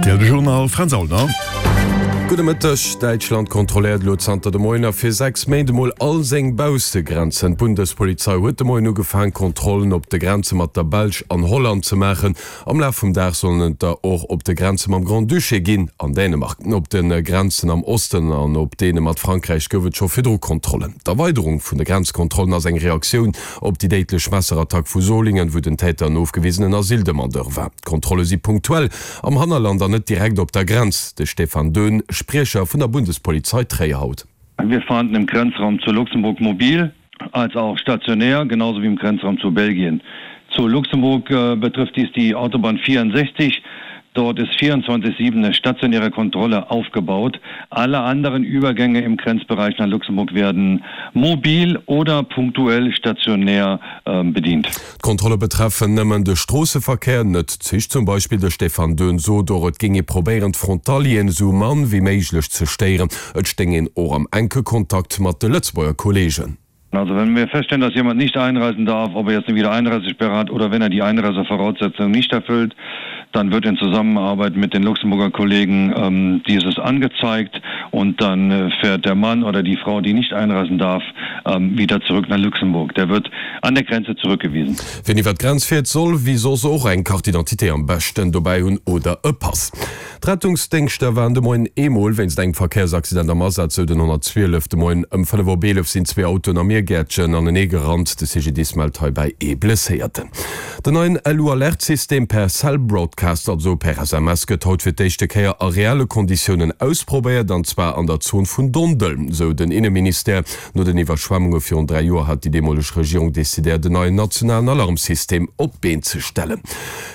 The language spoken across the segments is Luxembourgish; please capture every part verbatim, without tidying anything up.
R T L de Journal, Fränz Aulner. Gudde Mëtteg. Däitschland kontrolléiert elo zanter de Moien a fir sechs Méint emol all seng Baussegrenzen. D'Bundespolizei huet de Moien ugefaang, Kontrollen op de Grenze mat der Belsch an Holland ze maachen. Am Laf vum Dag sollen et der och op de Grenze mam Grand-Duché ginn an Dänemark. Op de Grenzen am Osten an op deene mat Frankräich gouf et scho virdru Kontrollen. D'Erweiderung vun de Grenzkontrollen ass eng Reaktioun op déi déidlech Messerattack vu Solingen, wou den Täter en ofgewisenen Asyldemandeur war. D'Kontrolle si punktuell am Hannerland an net direkt op der Grenz. De Stefan Döhn, Spriecher vun der Bundespolizei Tréier haut. Wir fahnden im Grenzraum zu Luxemburg mobil als auch stationär, genauso wie im Grenzraum zu Belgien. Zu Luxemburg äh, betrifft dies die Autobahn vierundsechzig. Dort ist vierundzwanzig sieben eine stationäre Kontrolle aufgebaut. Alle anderen Übergänge im Grenzbereich nach Luxemburg werden mobil oder punktuell stationär äh, bedient. D'Kontrolle betreffen nëmmen de Stroosseverkéier, net d'Zich zum Beispill. De Stefan Döhn sot och, et géing ee probéieren, d'Frontalieren esou mann wéi méiglech ze stéieren. Et stéing een och am enke Kontakt mat de Lëtzebuerger Kolleegen. Also wenn wir feststellen, dass jemand nicht einreisen darf, ob er jetzt eine Wiedereinreisesperre hat oder wenn er die Einreisevoraussetzungen nicht erfüllt, dann wird in Zusammenarbeit mit den Luxemburger Kollegen ähm, dieses angezeigt und dann äh, fährt der Mann oder die Frau, die nicht einreisen darf, ähm, wieder zurück nach Luxemburg. Der wird an der Grenze zurückgewiesen. Wien iwwer d'Grenz fiert, soll wéi soss och eng Carte d'identité am beschten dobäi hunn oder e Pass. D'Rettungsdéngschter waren de Moien eemol wéinst engem Verkéiersaccident am Asaz, sou den honnertzwielef. De Moien ëm fënnef op eelef sinn zwee Autoen am Miergäertchen anenee gerannt. De C G D I S mellt heibäi ee Blesséierten. Den neien L U-Alert-System per Cell Broadcast, also per S M S, gëtt haut fir d'éischte Kéier a reelle Konditiounen ausprobéiert, an zwar an der Zon vun Dondel, sou den Inneministère. No den Iwwerschwemmunge virun dräi Joer hat déi deemoleg Regierung decidéiert, en neien nationalen Alarmsystem op d'Been ze stellen.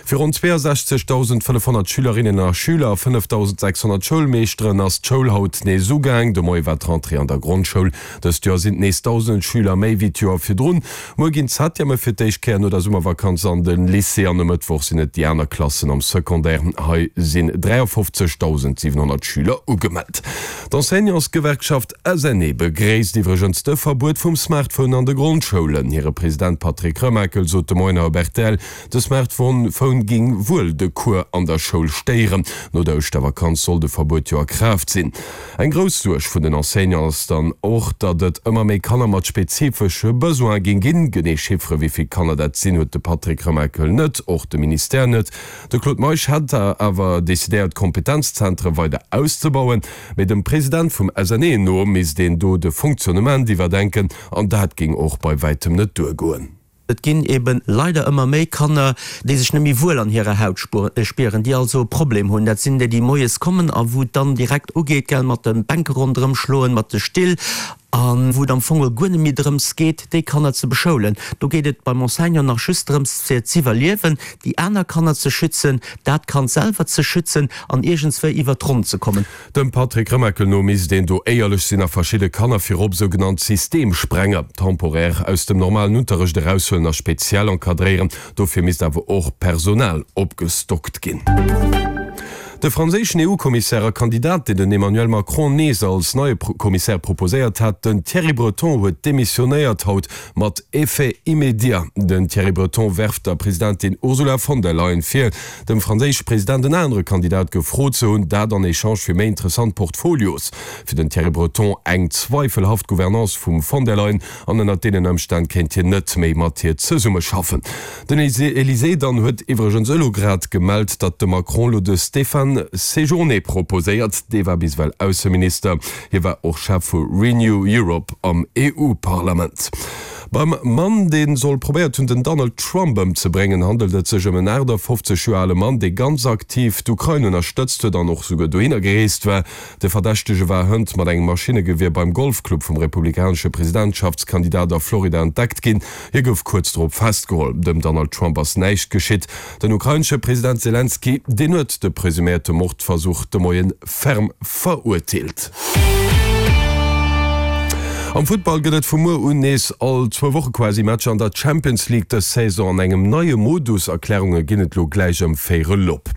Fir ronn zweeasechzegdausendfënnefhonnert Schülerinnen a Schüler a fënnefdausendsechshonnert Schoulmeeschteren ass d'Schoul haut nees ugaang. De Moie war d'Rentrée an der Grondschoul. Dëst Joer sinn et nees dausend Schüler méi wéi d'Joer virdrun. Muer ginn d'Septièmen fir d'éischt Kéier no der Summervakanz an de Lycée an e Mëttwoch sinn et déi aner Klassen am Secondaire. Hei sinn dräiafofzegdausendsiwenhonnert Schüler ugemellt. D'Enseignantsgewerkschaft S N E begréisst iwwregens de Verbuet vum Smartphone an de Grondschoulen. Hire President Patrick Remakel sot de Moien op R T L, de Smartphone géing wuel de Cours an der Schoul stéieren. No der Ouschtervakanz soll de Verbuet jo a Kraaft sinn. Eng grouss Suerg vun den Enseignanten ass dann och, datt et ëmmer méi Kanner mat spezifesche Besoine géing ginn. Genee Chiffere wéi vill Kanner dat sinn, huet de Patrick Remakel net, och de Ministère net. De Claude Meisch hätt awer decidéiert, d'Kompetenzzentere weider auszebauen. Mee dem President vum S N E no misst een do de Fonctionnement iwwerdenken an dat géing och bei wäitem net duergoen. Et ginn eben leider ëmmer méi Kanner, déi sech net méi wuel an hirer Haut spieren, déi also e Problem hunn. Dat sinn déi, déi moies kommen a wou et dann direkt ugeet, gell, mat de Bänke ronderëm schloen, mat de Still, a wou et am Fong guer net méi drëms geet, déi Kanner ze beschoulen. Do geet et beim Enseignant nach just drëms, fir z'iwwerliewen, déi aner Kanner ze schützen, dat Kand selwer ze schützen an iergendswéi iwwer d'Ronn ze kommen. Dem Patrick Remakel no misst een do éierlech sinn a verschidde Kanner, virop sougenannt Systemsprenger, temporär aus dem normalen Unterrecht eraushuelen a speziell encadréieren. Dofir misst awer och Personal opgestockt ginn. De franséischen E U-Kommissär a Kandidat, deen den Emmanuel Macron nees als neie Kommissär proposéiert hat, den Thierry Breton, huet demissionéiert, haut mat Effet immédiat. Den Thierry Breton werft der Presidentin Ursula von der Leyen vir, dem franséische President en anere Kandidat gefrot ze hunn, dat an Echange fir méi interessant Portfolios. Fir den Thierry Breton eng zweifelhaft Gouvernance vum von der Leyen an ënnert deenen Ëmstänn kéint hien net méi mat hir zesummeschaffen. Den Elysée dann huet iwwregens elo grad gemellt, datt de Macron elo de Stéphane Séjourné proposéiert. Dee war bis ewell Ausseminister, hie war och Chef vu Renew Europe am E U-Parlament. Beim Mann, dee soll probéiert hunn, den Donald Trump ëmzebréngen, handelt et sech ëm en aachtafofzeg Joer ale Mann, dee ganz aktiv d'Ukrain ënnerstëtzt huet an och souguer dohinner gereest war. De Verdächtege war hënt mat engem Maschinnegewier beim Golfclub vum republikanesche Presidentschaftskandidat a Florida entdeckt ginn. Hie gouf kuerz drop festgeholl. Dem Donald Trump ass näischt geschitt. Den ukrainesche President Selenskyj, deen huet de presuméierte Mordversuch de Moie ferm verurteelt. Am Futtball gëtt et vu muer un nees all zwou Woche quasi Matcher an der Champions League, dës Saison an engem neie Modus. Erklärunge ginn et lo gläich ëm véierel op.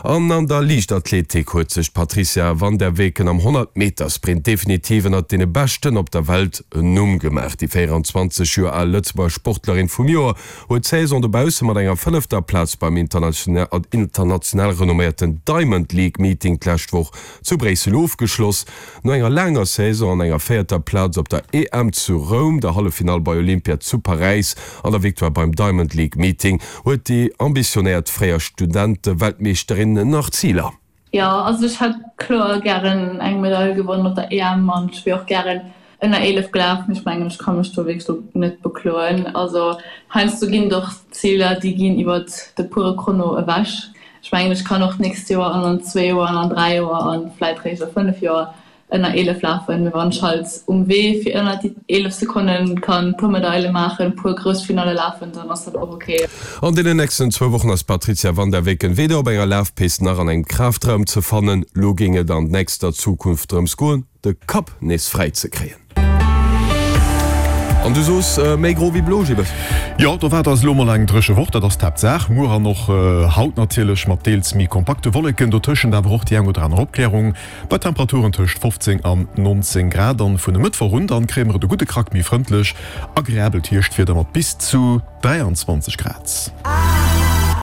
An an der Liichtathletik huet sech d'Patrizia van der Weken am honnert Meter Sprint definitiv ënnert deene Beschten op der Welt en Numm gemaach. Déi véierundzwanzeg Joer al Lëtzebuerger Sportlerin vum Joer huet d'Saison dobausse mat enger fënnefter Plaz beim international renomméierten Diamond League Meeting d'lescht Woch zu Bréissel ofgeschloss. No enger laanger Saison an enger véierter Plaz op der E M zu Roum, der Halleffinall bei Olympia zu Paräis an der Victoire beim Diamond League Meeting huet déi ambitionéiert fréier Studente-Weltmeeschterin nach Ziler. Jo, also ech hätt kloer gären eng Medail gewonnen op der E M an ech wier och gären ënner eelef gelaf, mee ech mengen ech ka mech do wierklech lo net bekloen. Also heiansdo ginn et och Ziler, déi ginn iwwert de pure Chrono ewech. Ech mengen ech kann och d'nächst Joer an an zwee Joer an an dräi Joer an vläit réischt a fënnef Joer ënner eelef lafen, mee wann ech halt um Wee fir ënner déi eelef Sekonne kann puer Medaile maachen, puer grouss Finalle lafen, dann ass dat och ok. An deenen nächsten zwou Wochen ass d'Patrizia van der Weken weder op enger Lafpist nach an engem Kraftraum ze fannen. Lo géing et an nächster Zukunft drëms goen, de Kapp nees fräi ze kréien. An du soos méi gro wéi blo, Gilles? Jo, do waart eis elo mol eng dréche Woch, dat ass d'Haaptsaach. Muer an och haut natierlech mat deels méi kompakte Wolleken, dotëschent awer och déi eng oder aner Opklärung, bei Temperaturen tëscht fofzéng an nonzéng Grad. An vun e Mëttwoch un dann kréie mer et e gudde Krack méi frëndlech, agreabelt Hierschtwieder mat bis zu dräianzwanzeg Grad.